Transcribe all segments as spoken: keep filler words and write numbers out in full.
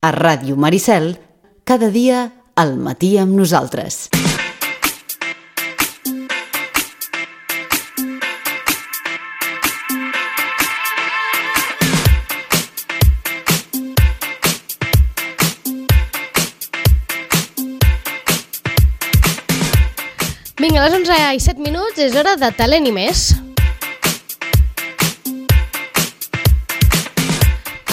A Ràdio Maricel, cada dia al matí amb nosaltres. Vinga, a les onze i set minuts és hora de Talent i més.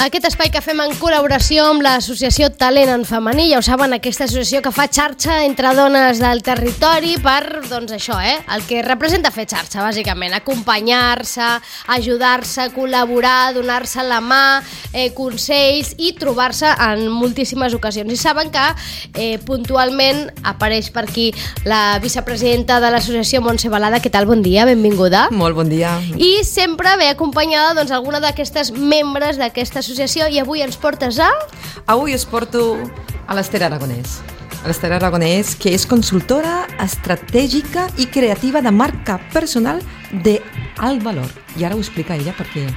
Aquest espai que fem en col·laboració amb l'associació Talent en Femení, ja ho saben, aquesta associació que fa xarxa entre dones del territori per, doncs això, eh? El que representa fer xarxa, bàsicament, acompanyar-se, ajudar-se, col·laborar, donar-se la mà, eh, consells i trobar-se en moltíssimes ocasions. I saben que eh, puntualment apareix per aquí la vicepresidenta de l'associació, Montse Balada. Què tal? Bon dia, benvinguda. Molt bon dia. I sempre ve acompanyada doncs, alguna d'aquestes membres d'aquesta associació, i avui ens portes a... Avui us porto a l'Ester Aragonès. A l'Ester Aragonès, que és consultora estratègica i creativa de marca personal d'alt valor. I ara ho explica ella perquè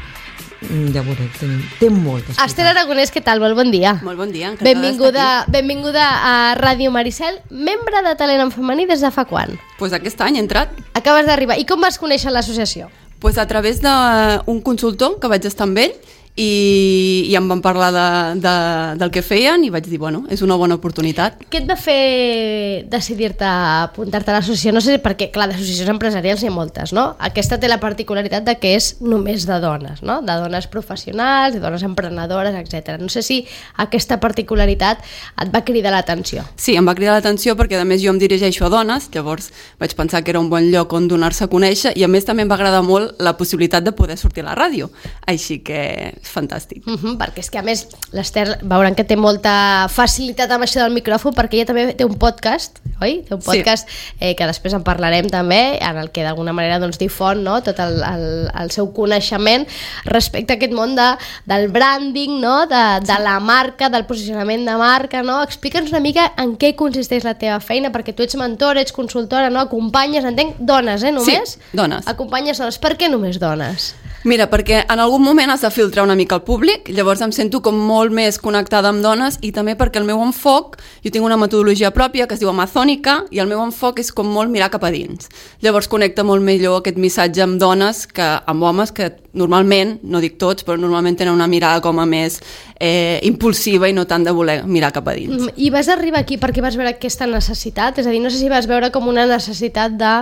ja veureu, té, té moltes coses. Ester Aragonès, què tal? Molt bon dia. Molt bon dia, encantada benvinguda, d'estar aquí. Benvinguda a Ràdio Maricel, membre de Talent en Femení des de fa quan? Pues aquest any he entrat. Acabes d'arribar. I com vas conèixer l'associació? Pues a través d'un consultor que vaig estar amb ell i, i em van parlar de, de, del que feien i vaig dir, bueno, és una bona oportunitat. Què et va fer decidir-te a apuntar-te a l'associació? No sé, perquè, clar, d'associacions empresarials hi ha moltes, no? Aquesta té la particularitat de que és només de dones, no? De dones professionals, de dones emprenedores, etcètera. No sé si aquesta particularitat et va cridar l'atenció. Sí, em va cridar l'atenció perquè, a més, jo em dirigeixo a dones, llavors vaig pensar que era un bon lloc on donar-se a conèixer i, a més, també em va agradar molt la possibilitat de poder sortir a la ràdio. Així que és fantàstic. Uh-huh, perquè és que, a més, l'Ester veuran que té molta facilitat amb això del micròfon, perquè ella també té un podcast, oi? Té un podcast sí. eh, que després en parlarem també, en el que d'alguna manera doncs, difon, no? Tot el, el, el seu coneixement respecte a aquest món de, del branding, no? de, de la marca, del posicionament de marca, no? Explica'ns una mica en què consisteix la teva feina, perquè tu ets mentora, ets consultora, no? Acompanyes, entenc, dones, eh, només? Sí, dones. Acompanyes dones. Per què només dones? Mira, perquè en algun moment has de filtrar una mica el públic, llavors em sento com molt més connectada amb dones i també perquè el meu enfoc, jo tinc una metodologia pròpia que es diu amazònica i el meu enfoc és com molt mirar cap a dins. Llavors connecta molt millor aquest missatge amb dones que amb homes que normalment, no dic tots, però normalment tenen una mirada com a més eh, impulsiva i no tant de voler mirar cap a dins. I vas arribar aquí perquè vas veure aquesta necessitat? És a dir, no sé si vas veure com una necessitat de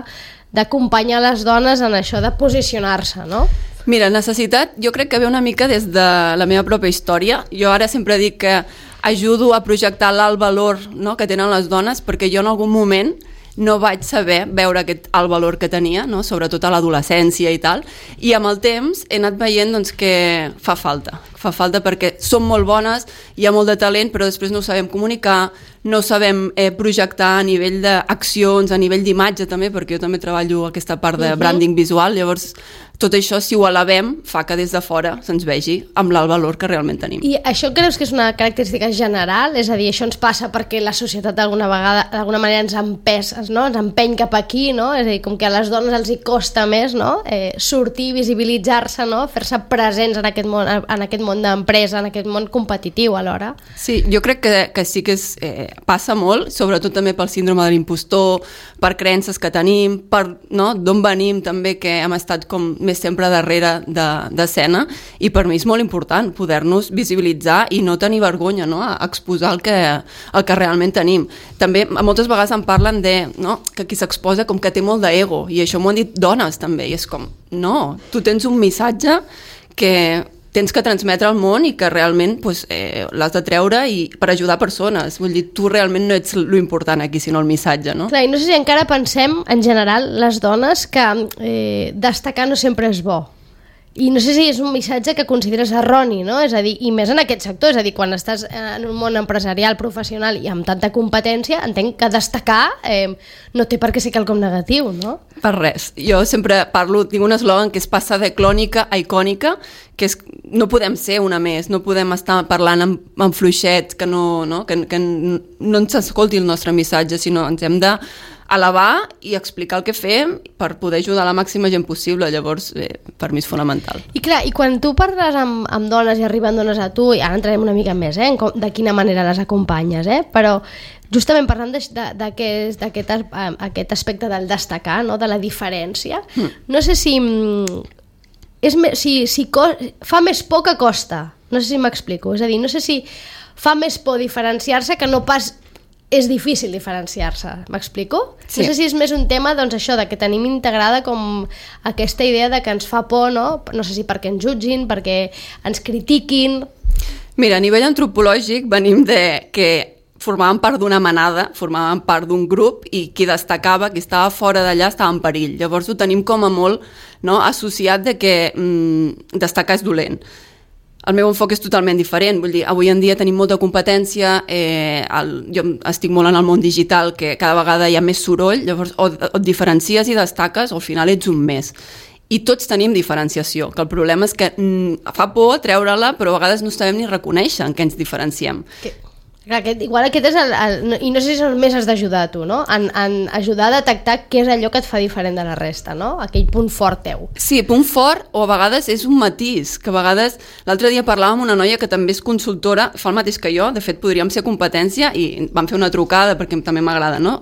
d'acompanyar les dones en això de posicionar-se, no? Mira, necessitat jo crec que ve una mica des de la meva pròpia història. Jo ara sempre dic que ajudo a projectar l'alt valor, no?, que tenen les dones, perquè jo en algun moment no vaig saber veure aquest alt valor que tenia, no?, sobretot a l'adolescència i tal, i amb el temps he anat veient doncs, que fa falta, fa falta perquè som molt bones, hi ha molt de talent, però després no ho sabem comunicar, no sabem eh, projectar a nivell d'accions, a nivell d'imatge també, perquè jo també treballo aquesta part de branding visual, llavors tot això, si ho elevem, fa que des de fora se'ns vegi amb l'alt valor que realment tenim. I això creus que és una característica general? És a dir, això ens passa perquè la societat d'alguna vegada, d'alguna manera ens empès, no? Ens empeny cap aquí, no? És a dir, com que a les dones els hi costa més, no? Eh, sortir, visibilitzar-se, no? Fer-se presents en aquest món, en aquest món d'empresa, en aquest món competitiu alhora. Sí, jo crec que, que sí que és, eh, passa molt, sobretot també pel síndrome de l'impostor, per creences que tenim, per, no?, d'on venim també, que hem estat com més sempre darrere d'escena, i per mi és molt important poder-nos visibilitzar i no tenir vergonya, no?, a exposar el que, el que realment tenim. També moltes vegades em parlen de, no?, que qui s'exposa com que té molt d'ego, i això m'ho han dit dones també, i és com, no, tu tens un missatge que tens que transmetre al món i que realment pues, eh, l'has de treure i per ajudar persones. Vull dir, tu realment no ets l'important aquí, sinó el missatge, no? Clar, i no sé si encara pensem, en general, les dones, que eh, destacar no sempre és bo. I no sé si és un missatge que consideres erroni, no? És a dir, i més en aquest sector, és a dir, quan estàs en un món empresarial, professional i amb tanta competència, entenc que destacar eh, no té per què ser quelcom negatiu, no? Per res. Jo sempre parlo, tinc un eslògan que és passar de clònica a icònica, que és, no podem ser una més, no podem estar parlant amb, amb fluixet, que no, no, que, que no ens escolti el nostre missatge, sinó ens hem de elevar i explicar el que fem per poder ajudar la màxima gent possible. Llavors, eh, per mi és fonamental. I clar, i quan tu parles amb, amb dones i arriben dones a tu, i ara entrarem una mica més, eh, com, de quina manera les acompanyes, eh, però justament parlant d'aquest aquest aspecte del destacar, no, de la diferència, mm. no sé si, és, si, si co, fa més por que costa, no sé si m'explico, és a dir, no sé si fa més por diferenciar-se que no pas és difícil diferenciar-se, m'explico? Sí. No sé si és més un tema, doncs això, de que tenim integrada com aquesta idea de que ens fa por, no? No sé si perquè ens jutgin, perquè ens critiquin... Mira, a nivell antropològic venim de que formaven part d'una manada, formaven part d'un grup i qui destacava, qui estava fora d'allà estava en perill. Llavors ho tenim com a molt, no, associat de que mm, destacar és dolent. El meu enfoc és totalment diferent, vull dir, avui en dia tenim molta competència, eh, el, jo estic molt en el món digital, que cada vegada hi ha més soroll, llavors o, o et diferencies i destaques o al final ets un més. I tots tenim diferenciació, que el problema és que mm, fa por treure-la, però a vegades no sabem ni reconèixer en què ens diferenciem. Que... Clar, aquest, igual aquest és el, el... I no sé si més has d'ajudar a tu, no? En, en ajudar a detectar què és allò que et fa diferent de la resta, no? Aquell punt fort teu. Sí, punt fort, o a vegades és un matís, que a vegades... L'altre dia parlàvem amb una noia que també és consultora, fa el mateix que jo, de fet podríem ser competència, i vam fer una trucada perquè també m'agrada, no?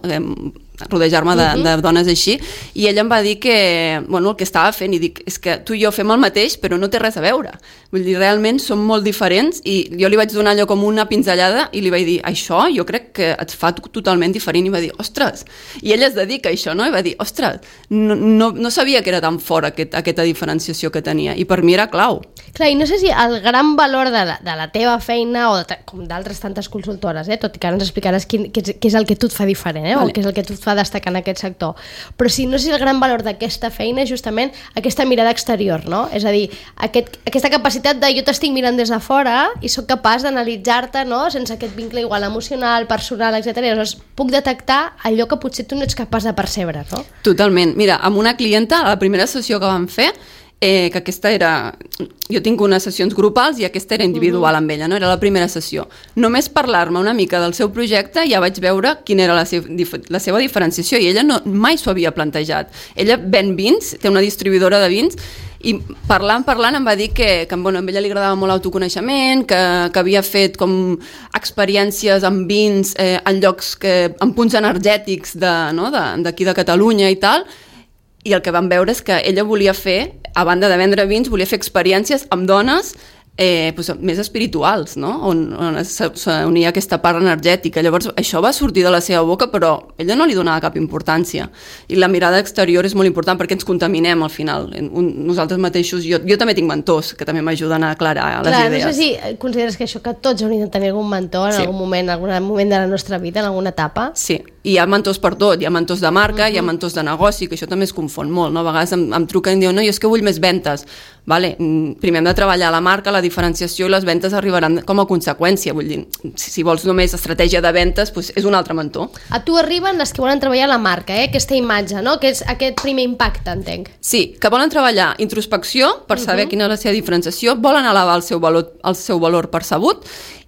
rodejar-me de, uh-huh. de dones així, i ella em va dir que, bueno, el que estava fent, i dic, és que tu i jo fem el mateix, però no té res a veure. Vull dir, realment som molt diferents, i jo li vaig donar allò com una pinzellada, i li vaig dir, això jo crec que et fa totalment diferent, i va dir, ostres, i ella es dedica a això, no? I va dir, ostres, no, no, no sabia que era tan fort aquest, aquesta diferenciació que tenia, i per mi era clau. Clar, i no sé si el gran valor de la, de la teva feina, o de, com d'altres tantes consultores, eh? Tot i que ara ens explicaràs quin, què, és, què és el que tu et fa diferent, eh? Vale. O què és el que tu et fa destacar en aquest sector. Però sí, no sé si el gran valor d'aquesta feina és justament aquesta mirada exterior, no? És a dir, aquest, aquesta capacitat de jo t'estic mirant des de fora i sóc capaç d'analitzar-te, no? Sense aquest vincle igual emocional, personal, etcètera. Llavors puc detectar allò que potser tu no ets capaç de percebre, no? Totalment. Mira, amb una clienta, a la primera sessió que vam fer, Eh, que aquesta era... Jo tinc unes sessions grupals i aquesta era individual uh-huh. amb ella, no? Era la primera sessió. Només parlar-me una mica del seu projecte ja vaig veure quina era la, se- la seva diferenciació, i ella no, mai s'ho havia plantejat. Ella ven vins, té una distribuïdora de vins, i parlant, parlant em va dir que, que bueno, a ella li agradava molt l'autoconeixement, que, que havia fet com experiències amb vins eh, en llocs que, en punts energètics de, no? de, d'aquí de Catalunya i tal, i el que vam veure és que ella volia fer, a banda de vendre vins, volia fer experiències amb dones eh, doncs, més espirituals, no? on, on s'unia aquesta part energètica. Llavors això va sortir de la seva boca, però ella no li donava cap importància. I la mirada exterior és molt important perquè ens contaminem al final. Un, nosaltres mateixos, jo, jo també tinc mentors que també m'ajuden a aclarar les Clar, idees. No sé si consideres que això, que tots hauríem de tenir algun mentor en sí. algun moment, en algun moment de la nostra vida, en alguna etapa. Sí, i hi ha mentors per tot, hi ha mentors de marca, uh-huh. hi ha mentors de negoci, que això també es confon molt, no? A vegades em, em truquen i diuen, no, jo és que vull més ventes. Vale, primer hem de treballar la marca, la diferenciació, i les ventes arribaran com a conseqüència. Vull dir, si, si vols només estratègia de ventes, doncs és un altre mentor. A tu arriben les que volen treballar la marca, eh? Aquesta imatge, no? Que és aquest primer impacte, entenc. Sí, que volen treballar introspecció per saber uh-huh. quina és la seva diferenciació, volen elevar el seu valor, el seu valor percebut,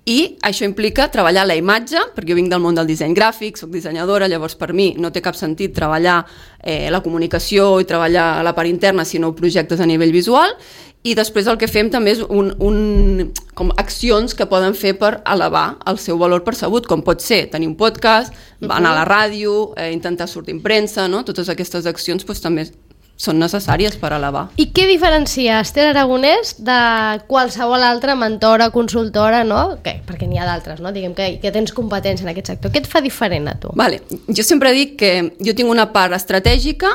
i això implica treballar la imatge, perquè jo vinc del món del disseny gràfic, soc dissenyadora, llavors per mi no té cap sentit treballar eh, la comunicació i treballar la part interna, sinó projectes a nivell visual, i després el que fem també és un, un, com accions que poden fer per elevar el seu valor percebut, com pot ser tenir un podcast, uh-huh. anar a la ràdio, eh, intentar sortir en premsa, no? Totes aquestes accions doncs, també són necessàries per elevar. I què diferencia Esther Aragonès de qualsevol altra mentora, consultora, no? Que, perquè n'hi ha d'altres, no? Diguem que, que tens competència en aquest sector. Què et fa diferent a tu? Vale. Jo sempre dic que jo tinc una part estratègica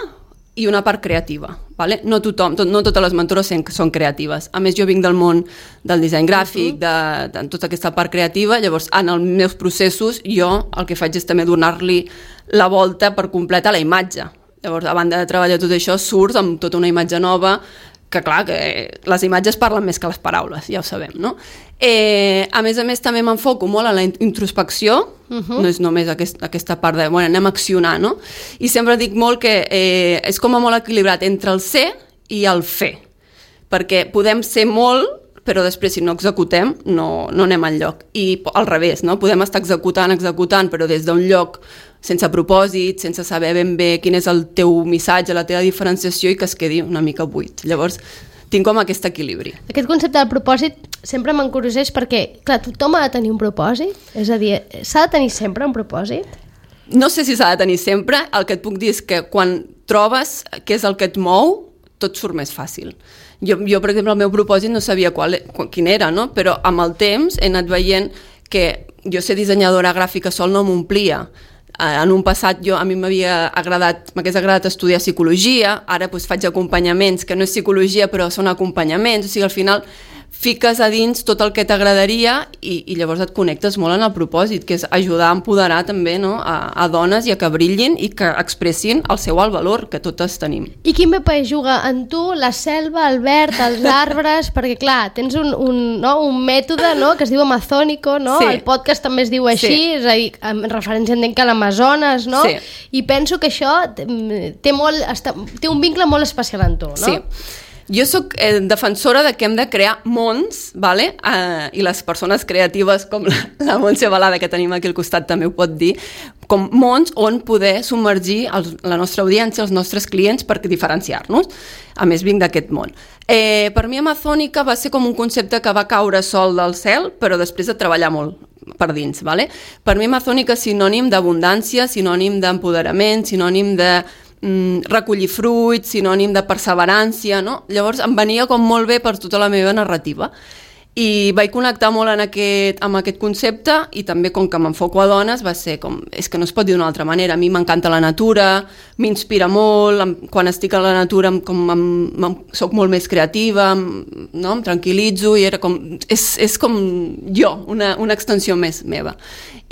i una part creativa. Vale? No tothom, tot, no totes les mentores són creatives. A més, jo vinc del món del disseny gràfic, de, de tota aquesta part creativa, llavors en els meus processos jo el que faig és també donar-li la volta per completar la imatge. Llavors, a banda de treballar tot això, surts amb tota una imatge nova, que clar, que les imatges parlen més que les paraules, ja ho sabem, no? Eh, a més a més, també m'enfoco molt en la introspecció, uh-huh. no és només aquest, aquesta part de, bueno, anem a accionar, no? I sempre dic molt que eh, és com a molt equilibrat entre el ser i el fer, perquè podem ser molt però després si no executem no, no anem enlloc. I al revés, no? Podem estar executant, executant, però des d'un lloc sense propòsit, sense saber ben bé quin és el teu missatge, la teva diferenciació i que es quedi una mica buit. Llavors, tinc com aquest equilibri. Aquest concepte del propòsit sempre m'encurioseix perquè, clar, tothom ha de tenir un propòsit? És a dir, s'ha de tenir sempre un propòsit? No sé si s'ha de tenir sempre. El que et puc dir és que quan trobes què és el que et mou, tot surt més fàcil. Jo, jo per exemple, el meu propòsit no sabia qual, quin era, no? Però amb el temps he anat veient que jo ser dissenyadora gràfica sol no m'omplia. En un passat jo, a mi m'havia agradat, m'hagués agradat estudiar psicologia, ara doncs, faig acompanyaments, que no és psicologia però són acompanyaments, o sigui, al final fiques a dins tot el que t'agradaria i, i llavors et connectes molt en el propòsit, que és ajudar a empoderar també, no? a, a dones i a que brillin i que expressin el seu alt valor, que totes tenim. I quin paper juga en tu la selva, el verd, els arbres? Perquè clar, tens un, un, no? un mètode, no? que es diu amazònico, no? Sí. El podcast també es diu així, Sí. és a dir, en referència entenc que a l'Amazones, no? Sí. I penso que això té, molt, està, té un vincle molt especial en tu, no? Sí. Jo sóc eh, defensora de que hem de crear mons, vale? eh, i les persones creatives com la, la Montse Balada, que tenim aquí al costat, també ho pot dir, com mons on poder submergir els, la nostra audiència, els nostres clients, per diferenciar-nos. A més, vinc d'aquest món. Eh, per mi, Amazònica va ser com un concepte que va caure sol del cel, però després de treballar molt per dins. Vale? Per mi, Amazònica és sinònim d'abundància, sinònim d'empoderament, sinònim de recollir fruits, sinònim de perseverància, no? Llavors em venia com molt bé per tota la meva narrativa. I vaig connectar molt en aquest, amb aquest concepte i també com que m'enfoco a dones va ser com, és que no es pot dir d'una altra manera, a mi m'encanta la natura, m'inspira molt, em, quan estic a la natura em, com, em, em, soc molt més creativa, em, no? em tranquil·litzo i era com, és, és com jo, una, una extensió més meva.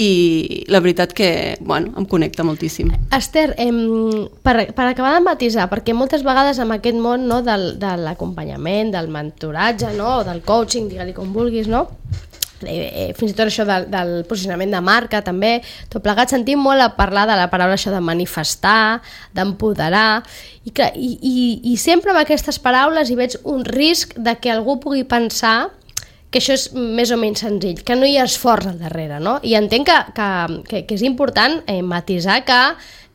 I la veritat que, bueno, em connecta moltíssim. Esther, em, per, per acabar de matisar, perquè moltes vegades amb aquest món, no, del, de l'acompanyament, del mentoratge, no, del coaching, digue-li com vulguis, no? Eh, fins i tot això del, del posicionament de marca també, tot plegat sentim molt a parlar de la paraula això de manifestar, d'empoderar i, que, i, i, i sempre amb aquestes paraules hi veig un risc de que algú pugui pensar que això és més o menys senzill, que no hi ha esforç al darrere, no? I entenc que, que, que, que és important eh, matisar que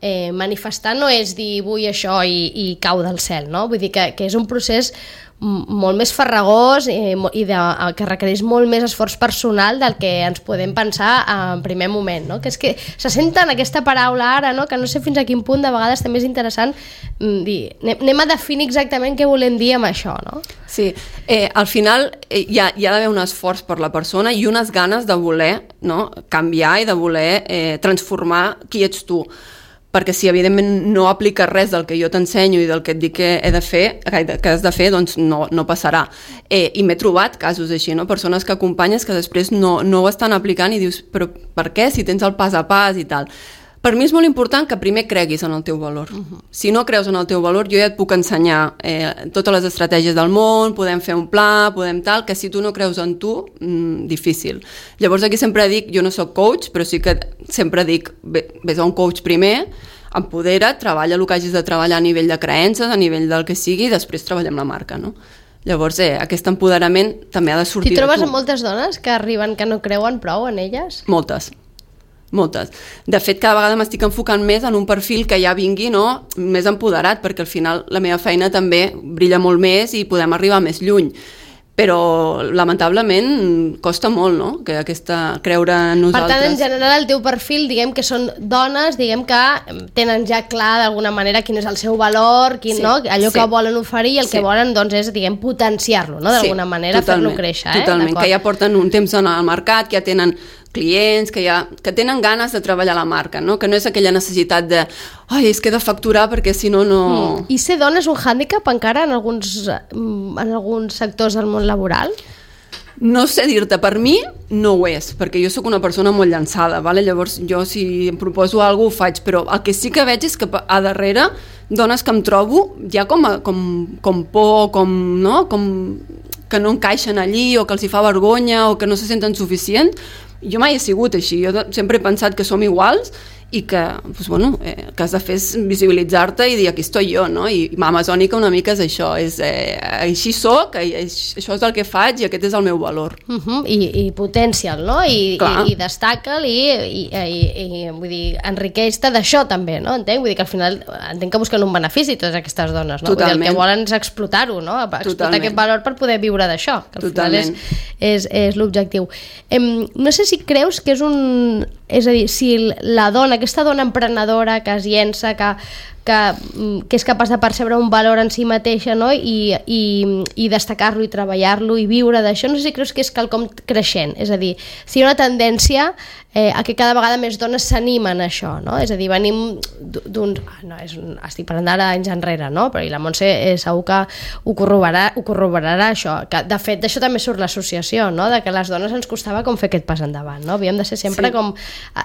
eh, manifestar no és dir vull això i, i cau del cel, no? Vull dir que, que és un procés molt més farragós eh, i de, que requereix molt més esforç personal del que ens podem pensar en primer moment, no? Que és que se senten aquesta paraula ara, no? Que no sé fins a quin punt de vegades també és interessant dir, anem a definir exactament què volem dir amb això, no? Sí, eh, al final eh, hi ha, hi ha d'haver un esforç per la persona i unes ganes de voler, no? canviar i de voler eh, transformar qui ets tu. Perquè si evidentment no apliques res del que jo t'ensenyo i del que et dic que he de fer, que has de fer, doncs no, no passarà. Eh, I m'he trobat casos així, no? Persones que acompanyes que després no, no ho estan aplicant i dius, però per què? Si tens el pas a pas i tal. Per mi és molt important que primer creguis en el teu valor. Uh-huh. Si no creus en el teu valor, jo ja et puc ensenyar eh, totes les estratègies del món, podem fer un pla, podem tal, que si tu no creus en tu, mmm, difícil. Llavors aquí sempre dic, jo no soc coach, però sí que sempre dic, vés a un coach primer, empodera, treballa el que hagis de treballar a nivell de creences, a nivell del que sigui, i després treballem la marca, no? Llavors, eh, aquest empoderament també ha de sortir de tu. T'hi trobes amb moltes dones que arriben que no creuen prou en elles? Moltes. Moltes. De fet, cada vegada m'estic enfocant més en un perfil que ja vingui, no? Més empoderat, perquè al final la meva feina també brilla molt més i podem arribar més lluny. Però, lamentablement, costa molt, no? Que aquesta, creure en nosaltres... Per tant, en general, el teu perfil, diguem que són dones, diguem que tenen ja clar d'alguna manera quin és el seu valor, quin, sí, no? Allò sí. que volen oferir i el sí. que volen, doncs, és, diguem, potenciar-lo, no? D'alguna sí, manera, fer-lo créixer, eh? Totalment, que ja porten un temps en el mercat, que ja tenen clients, que, ja, que tenen ganes de treballar la marca, no? Que no és aquella necessitat de ai, és que he de facturar perquè si no, no... Mm. I ser dona és un hàndicap encara en alguns, en alguns sectors del món laboral? No sé dir-te, per mi no ho és, perquè jo sóc una persona molt llançada, vale? Llavors jo si em proposo alguna cosa ho faig, però el que sí que veig és que a darrere dones que em trobo ja com, a, com, com por, com, no? com que no encaixen allí o que els hi fa vergonya o que no se senten suficients. Jo mai he sigut així, jo sempre he pensat que som iguals i que, doncs, bueno, eh, que has de fer és visibilitzar-te i dir aquí estoy jo, no? I Amazònica una mica és això, és eh, així soc, això és el que faig i aquest és el meu valor. Uh -huh. I, i potencia'l, no? I, i, i destaca'l i, i, i, i vull dir, enriqueix-te d'això també, no? Entenc? Vull dir que al final entenc que busquen un benefici totes aquestes dones, no? Vull dir, el que volen és explotar-ho, no? Explotar Totalment. Aquest valor per poder viure d'això, que al Totalment. final és, és, és l'objectiu. Em, no sé si creus que és un... És a dir, si la dona, aquesta dona emprenedora que es llença, que, que, que és capaç de percebre un valor en si mateixa, no? I, i, i destacar-lo i treballar-lo i viure d'això, no sé si creus que és quelcom creixent, és a dir, si hi ha una tendència eh, a que cada vegada més dones s'animen a això, no? És a dir, venim d'un... No, és un, estic parlant d'ara anys enrere, no? Però i la Montse eh, segur que ho corroborarà, ho corroborarà això, que de fet d'això també surt l'associació, no? De que les dones ens costava com fer aquest pas endavant, no? Havíem de ser sempre sí. com...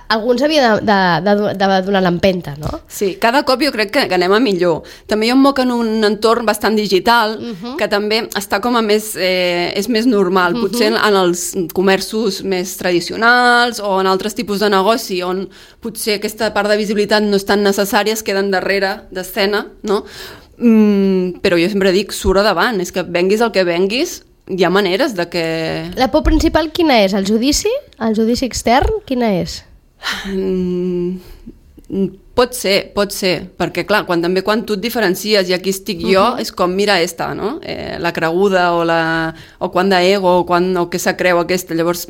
Algú ens havia de, de, de, de donar l'empenta, no? Sí, cada cop jo crec que, que anem a millor. També jo em moc en un entorn bastant digital, uh-huh. que també està com a més... Eh, és més normal, uh-huh. potser en els comerços més tradicionals o en altres tipus de negoci on potser aquesta part de visibilitat no és tan necessària, es queden darrere d'escena, no? Mm, però jo sempre dic, surt a davant, és que venguis el que venguis, hi ha maneres de que... La por principal quina és? El judici? El judici extern? Quina és? Mm, pot ser, pot ser, perquè clar, quan, també quan tu et diferencies i aquí estic jo, uh-huh. és com, mira esta, no? Eh, la creguda o, la, o quan d'ego o, quan, o què se creu aquesta, llavors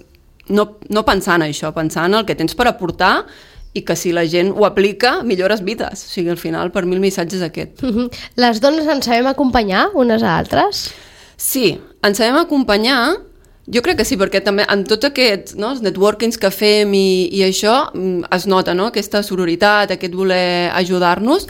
no, no pensar en això, pensar en el que tens per aportar i que si la gent ho aplica, millores vides. O sigui, al final, per mi el missatge és aquest. Uh-huh. Les dones ens sabem acompanyar unes a altres? Sí, ens sabem acompanyar, jo crec que sí, perquè també en tots aquests no, els networkings que fem i, i això es nota, no? Aquesta sororitat, aquest voler ajudar-nos,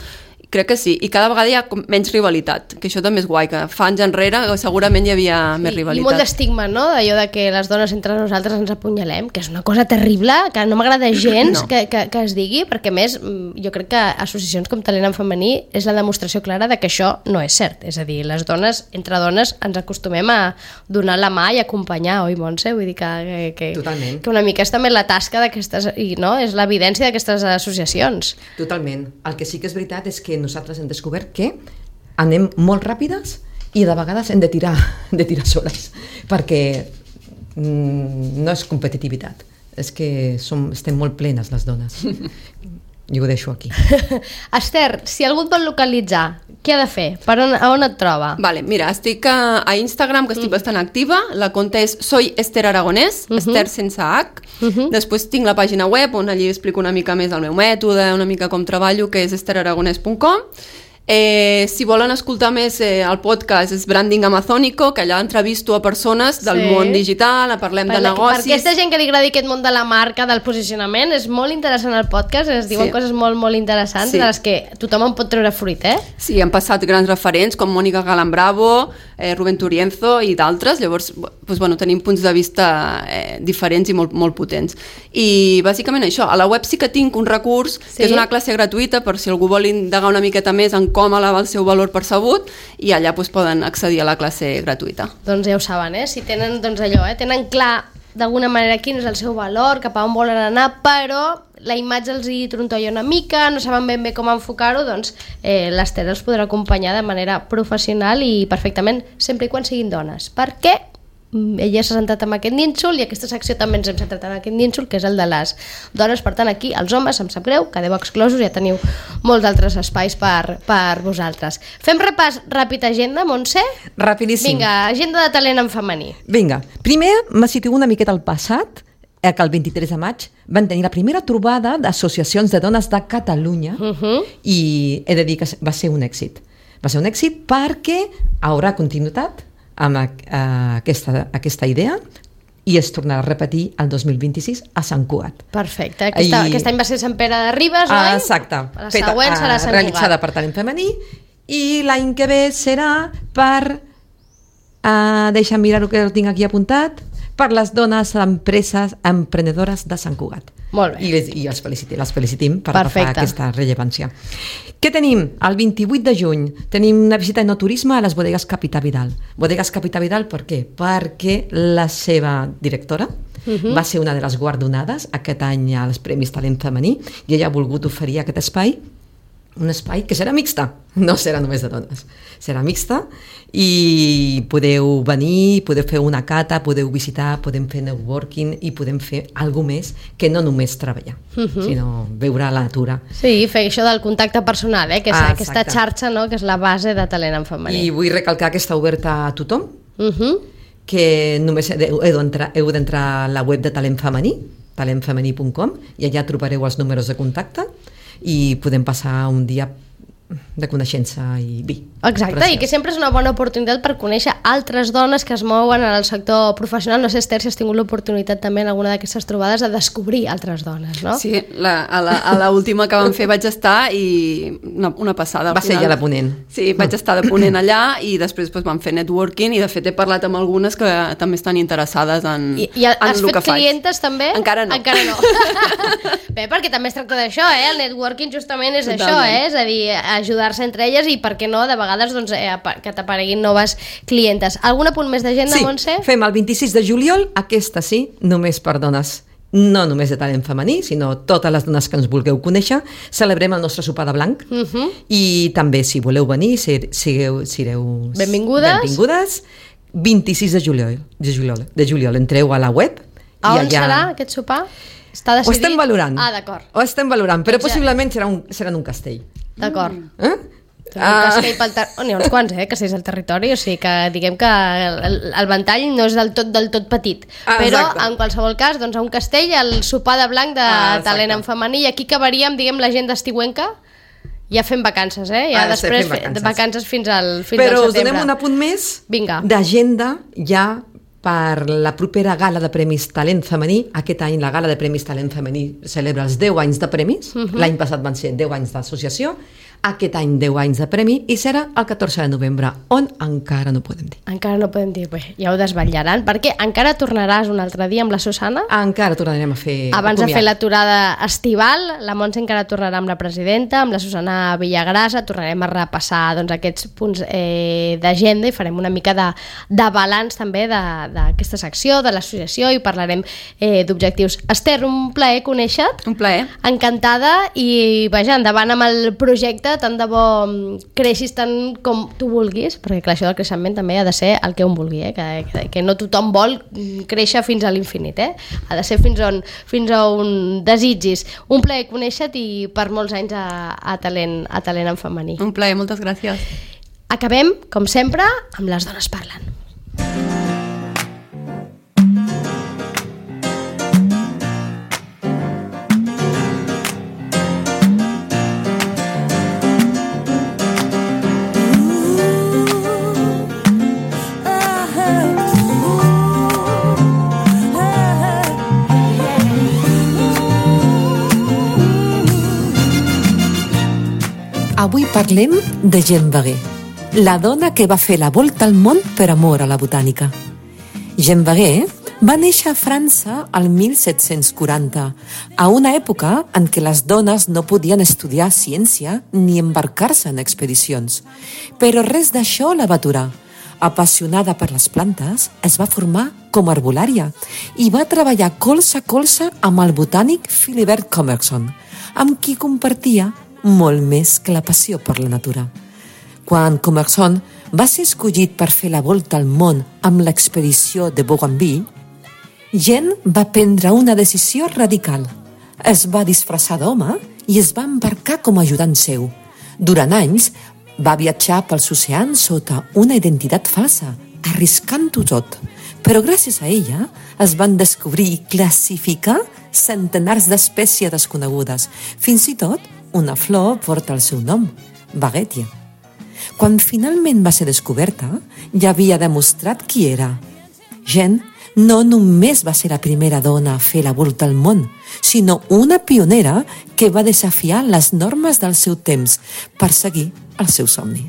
crec que sí, i cada vegada hi ha menys rivalitat, que això també és guai, que fa anys enrere segurament hi havia sí, més rivalitat. I molt d'estigma, no?, d'allò de que les dones entre nosaltres ens apunyalem, que és una cosa terrible, que no m'agrada gens no. que, que, que es digui, perquè a més jo crec que associacions com Talent en Femení és la demostració clara de que això no és cert, és a dir, les dones, entre dones, ens acostumem a donar la mà i acompanyar, oi, Montse? Vull dir que, que, que, que una mica és també la tasca d'aquestes, i no, és l'evidència d'aquestes associacions. Totalment. El que sí que és veritat és que nosaltres hem descobert que anem molt ràpides i de vegades hem de tirar, de tirar soles, perquè mm, no és competitivitat, és que som, estem molt plenes les dones. Jo ho deixo aquí. Esther, si algú et vol localitzar, què ha de fer? Per on, a on et troba? Vale, mira, estic a, a Instagram, que estic mm. bastant activa. La compte és Soy Esther Aragonès, uh-huh. Esther sense H. Uh-huh. Després tinc la pàgina web, on allí explico una mica més el meu mètode, una mica com treballo, que és esther aragonès punt com. Eh, si volen escoltar més eh, el podcast és Branding Amazónico, que allà entrevisto a persones del sí. món digital, parlem per de la, negocis. Per aquesta gent que li agradi aquest món de la marca, del posicionament, és molt interessant el podcast, es diuen sí. coses molt, molt interessants, sí. de les que tothom en pot treure fruit, eh? Sí, han passat grans referents com Mònica Galán-Bravo, eh, Rubén Turienzo i d'altres, llavors doncs, bueno, tenim punts de vista eh, diferents i molt, molt potents. I bàsicament això, a la web sí que tinc un recurs, sí. que és una classe gratuïta per si algú vol indagar una miqueta més en com elevar el seu valor percebut, i allà doncs, poden accedir a la classe gratuïta. Doncs ja ho saben, eh? Si tenen doncs allò, eh? tenen clar d'alguna manera quin és el seu valor, cap a on volen anar, però la imatge els hi trontolla una mica, no saben ben bé com enfocar-ho, doncs eh, l'Esther els podrà acompanyar de manera professional i perfectament, sempre i quan siguin dones. Per què? Ella s'ha centrat en aquest nínxol i aquesta secció també ens hem centrat en aquest nínxol, que és el de les dones. Per tant, aquí, els homes, em sap greu, quedeu exclosos, ja teniu molts altres espais per, per vosaltres. Fem repàs ràpid agenda, Montse? Rapidíssim. Vinga, agenda de talent en femení. Vinga, primer me situo una miqueta al passat, que el vint-i-tres de maig van tenir la primera trobada d'associacions de dones de Catalunya uh-huh. i he de dir que va ser un èxit. Va ser un èxit perquè haurà continuïtat amb aquesta, aquesta idea i es tornarà a repetir el dos mil vint-i-sis a Sant Cugat. Perfecte. Aquesta, I... Aquest any va ser Sant Pere de Ribes, oi? Exacte. La següent serà Sant Cugat. Realitzada per Talent Femení i l'any que ve serà per... Uh, deixa'm mirar el que tinc aquí apuntat, per les dones empreses emprenedores de Sant Cugat. Molt bé. I, les, i els felicitem, les felicitem per Perfecte. agafar aquesta rellevància. Què tenim? El vint-i-vuit de juny tenim una visita de no turisme a les bodegues Capità Vidal. Bodegues Capità Vidal per què? Perquè la seva directora uh-huh. va ser una de les guardonades aquest any als Premis Talent Femení i ella ha volgut oferir aquest espai, un espai que serà mixta, no serà només de dones, serà mixta i podeu venir, podeu fer una cata, podeu visitar, podem fer networking i podem fer alguna més que no només treballar, uh-huh. sinó veure la natura. Sí, fer això del contacte personal, eh? que és ah, aquesta xarxa, no? que és la base de talent en femení. I vull recalcar que està oberta a tothom, uh-huh. que només heu d'entrar, heu d'entrar a la web de Talent Femení, talent femení punt com, i allà trobareu els números de contacte i podem passar un dia de coneixença i vi. Exacte, preciós. I que sempre és una bona oportunitat per conèixer altres dones que es mouen en el sector professional. No sé, Esther, si has tingut l'oportunitat també en alguna d'aquestes trobades de descobrir altres dones, no? Sí, la, a, la, a la última que vam fer vaig estar i una, una passada. Va ser ja la ponent. Sí, vaig estar de ponent allà i després doncs, vam fer networking i de fet he parlat amb algunes que també estan interessades en, I, i en el que faig. I has fet clientes també? Encara no. Encara no. Bé, perquè també es tracta d'això, eh? El networking justament és Totalment. Això, eh? És a dir, ajudar-se entre elles i, per què no, de vegades doncs, eh, que t'apareguin noves clientes. Algun apunt més d'agenda, sí, Montse? Sí, fem el vint-i-sis de juliol, aquesta sí, només per dones. No només de talent femení, sinó totes les dones que ens vulgueu conèixer. Celebrem el nostre sopar de blanc uh -huh. i també, si voleu venir, sigueu, sigueu benvingudes. benvingudes. vint-i-sis de juliol, de juliol, de juliol. Entreu a la web. A i on allà... serà aquest sopar? Està decidit? Ho estem valorant. Ah, d'acord. Ho estem valorant, però ja. possiblement serà, un, serà en un castell. D'acord. Eh? Un castell pel ter... oh, n'hi ha uns quants, eh, castells al territori, o sigui que diguem que el, el ventall no és del tot del tot petit, ah, però exacte. En qualsevol cas, doncs a un castell el sopar de blanc de ah, talent en femení, i aquí acabaríem, diguem, la gent d'estiuenca ja fem vacances, eh? Ja ah, després vacances. vacances fins al, fins però al setembre. Però us donem un apunt més d'agenda ja per la propera gala de Premis Talent Femení. Aquest any la gala de Premis Talent Femení celebra els deu anys de premis. Uh-huh. L'any passat van ser deu anys d'associació. Aquest any deu anys de premi i serà el catorze de novembre, on encara no podem dir. Encara no podem dir, bé, ja ho desvetllaran, perquè encara tornaràs un altre dia amb la Susana? Encara tornarem a fer... Abans de fer l'aturada estival, la Montse encara tornarà amb la presidenta, amb la Susana Villagrasa, tornarem a repassar doncs, aquests punts eh, d'agenda i farem una mica de, de balanç també d'aquesta secció, de l'associació, i parlarem eh, d'objectius. Esther, un plaer conèixer-te. Un plaer. Encantada, i vaja, endavant amb el projecte, tant de bo creixis tant com tu vulguis, perquè clar, això del creixement també ha de ser el que un vulgui, eh? que, que, que no tothom vol créixer fins a l'infinit, eh? Ha de ser fins on, fins on desitgis. Un plaer conèixer-te i per molts anys a, a, talent, a talent en femení. Un plaer, moltes gràcies. Acabem, com sempre, amb Les dones parlen. Avui parlem de Jeanne Baguet, la dona que va fer la volta al món per amor a la botànica. Jeanne Baguet va néixer a França al mil set-cents quaranta, a una època en què les dones no podien estudiar ciència ni embarcar-se en expedicions. Però res d'això la va aturar. Apassionada per les plantes, es va formar com a herbolària i va treballar colze a colze amb el botànic Philibert Commerson, amb qui compartia molt més que la passió per la natura. Quan Commerson va ser escollit per fer la volta al món amb l'expedició de Bougainville, Jeanne va prendre una decisió radical. Es va disfressar d'home i es va embarcar com a ajudant seu. Durant anys va viatjar pels oceans sota una identitat falsa, arriscant-ho tot. Però gràcies a ella es van descobrir i classificar centenars d'espècies desconegudes. Fins i tot una flor porta el seu nom, Baguetia. Quan finalment va ser descoberta, ja havia demostrat qui era. Jeanne no només va ser la primera dona a fer la volta al món, sinó una pionera que va desafiar les normes del seu temps per seguir el seu somni.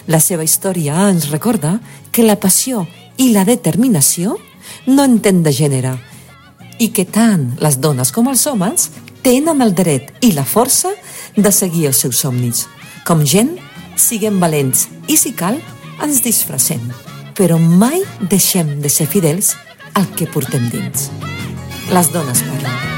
La seva història ens recorda que la passió i la determinació no entén de gènere i que tant les dones com els homes tenen el dret i la força de seguir els seus somnis. Com gent, siguem valents i, si cal, ens disfressem. Però mai deixem de ser fidels al que portem dins. Les dones parlen.